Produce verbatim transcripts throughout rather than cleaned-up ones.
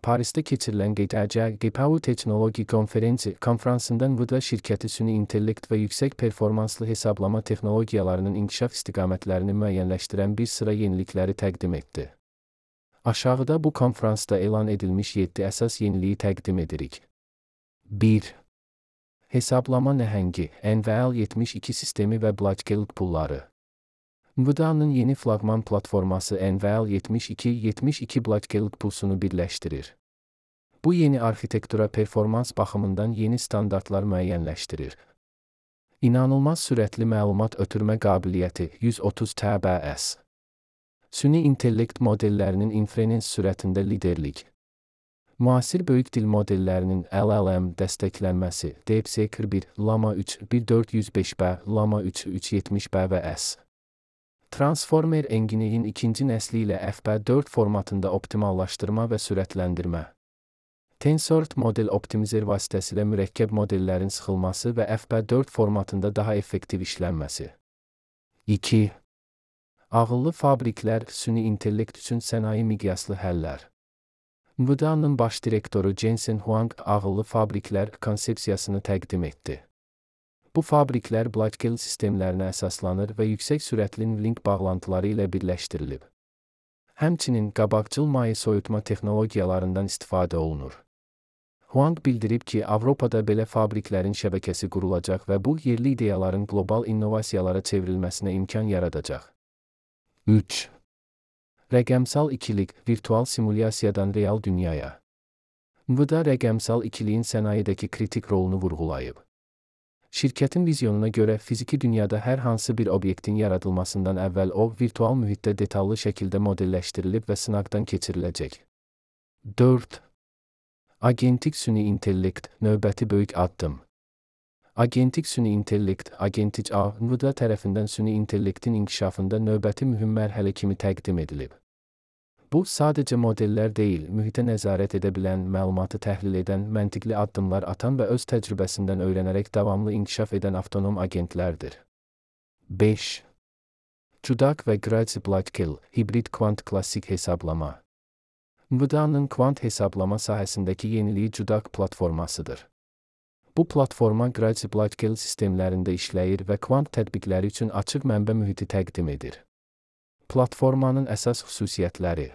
Paris'te keçirilən G T C G P U Teknoloji Konferensi konferansında NVIDIA şirkəti süni intellekt və yüksək performanslı hesablama texnologiyalarının inkişaf istiqamətlərini müəyyənləşdirən bir sıra yenilikləri təqdim etdi. Aşağıda bu konferansda elan edilmiş yeddi əsas yeniliyi təqdim edirik. bir. Hesablama nəhəngi, N V L yetmiş iki sistemi və blockchain pulları. NVIDIA'nın yeni flagman platforması N V L yetmiş iki yetmiş iki blockchain pulsunu birləşdirir. Bu yeni arxitektura performans baxımından yeni standartlar müəyyənləşdirir. İnanılmaz sürətli məlumat ötürmə qabiliyyəti yüz otuz T B S. Süni intellekt modellərinin inferens sürətində liderlik. Müasir böyük dil modellərinin L L M dəstəklənməsi DeepSeek bir, Llama üç bir dörd yüz beş B, Llama üç üç yetmiş B və S. Transformer Engine'in ikinci nəsli ilə F P dörd formatında optimallaşdırma və sürətləndirmə. Tensor model optimizer vasitəsilə mürəkkəb modellərin sıxılması və F P dörd formatında daha effektiv işlənməsi. iki. Ağıllı fabriklər, süni intellekt üçün sənaye miqyaslı həllər. NVIDIA'nın baş direktoru Jensen Huang ağıllı fabriklər konsepsiyasını təqdim etdi. Bu fabriklər blockchain sistemlərinə əsaslanır və yüksək sürətli link bağlantıları ilə birləşdirilib. Həmçinin qabaqcıl maye soyutma texnologiyalarından istifadə olunur. Huang bildirib ki, Avropada belə fabriklərin şəbəkəsi qurulacaq və bu yerli ideyaların qlobal innovasiyalara çevrilməsinə imkan yaradacaq. üç. Rəqəmsal ikilik, virtual simulyasiyadan real dünyaya. NVIDIA rəqəmsal ikiliyin sənayedəki kritik rolunu vurğulayıb. Şirkətin vizyonuna görə fiziki dünyada hər hansı bir obyektin yaradılmasından əvvəl o, virtual mühitdə detallı şəkildə modelləşdirilib və sınaqdan keçiriləcək. dörd. Agentik süni intellekt, növbəti böyük addım. Agentik süni intellekt, Agentic A, NVIDIA tərəfindən süni intellektin inkişafında növbəti mühüm mərhələ kimi təqdim edilib. Bu, sadəcə modellər deyil, mühitə nəzarət edə bilən, məlumatı təhlil edən, məntiqli addımlar atan və öz təcrübəsindən öyrənərək davamlı inkişaf edən avtonom agentlərdir. beş. CUDAQ və Grace Blackwell, hibrid kvant klassik hesablama. NVIDIA'nın kvant hesablama sahəsindəki yeniliyi CUDAQ platformasıdır. Bu platforma Grace Blackwell sistemlərində işləyir və kvant tətbiqləri üçün açıq mənbə mühiti təqdim edir. Platformanın əsas xüsusiyyətləri.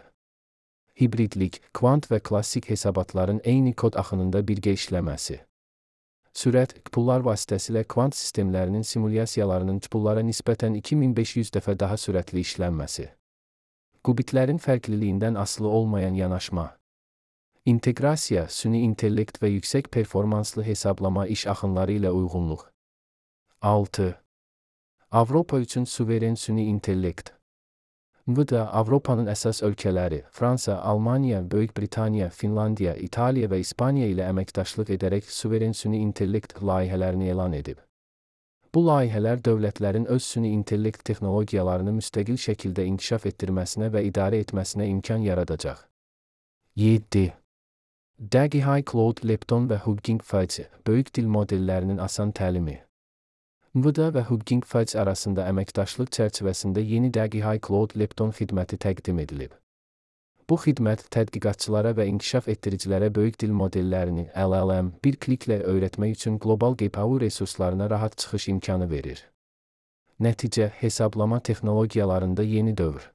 Hibridlik, kvant və klassik hesabatların eyni kod axınında birgə işləməsi. Sürət, pullar vasitəsilə kvant sistemlərinin simulyasiyalarının pullara nisbətən iki min beş yüz dəfə daha sürətli işlənməsi. Qubitlərin fərqliliyindən asılı olmayan yanaşma. İnteqrasiya, süni intellekt və yüksək performanslı hesablama iş axınları ilə uyğunluq. altı. Avropa üçün suveren süni intellekt. NVIDIA, Avropanın əsas ölkələri, Fransa, Almaniya, Böyük Britaniya, Finlandiya, İtaliya və İspaniya ilə əməkdaşlıq edərək suveren süni intellekt layihələrini elan edib. Bu layihələr dövlətlərin öz süni intellekt texnologiyalarını müstəqil şəkildə inkişaf etdirməsinə və idarə etməsinə imkan yaradacaq. yeddi. DAGI Cloud, Lepton və Hugging Face, böyük dil modellərinin asan təlimi. NVIDIA və Hugging Face arasında əməkdaşlıq çərçivəsində yeni DAGI Cloud Lepton xidməti təqdim edilib. Bu xidmət tədqiqatçılara və inkişaf etdiricilərə böyük dil modellərini L L M bir kliklə öyrətmək üçün qlobal G P U resurslarına rahat çıxış imkanı verir. Nəticə, hesablama texnologiyalarında yeni dövr.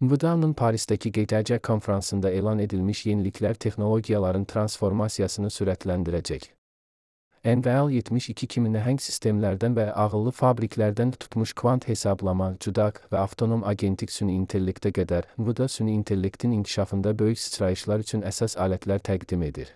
NVIDIA'nın Paris'təki G T C konferansında elan edilmiş yeniliklər texnologiyaların transformasiyasını sürətləndirəcək. N V L yetmiş iki kimi nəhəng sistemlərdən və ağıllı fabriklərdən tutmuş kvant hesablama, CUDAQ və avtonom agentik süni intellektə qədər NVIDIA süni intellektin inkişafında böyük sıçrayışlar üçün əsas alətlər təqdim edir.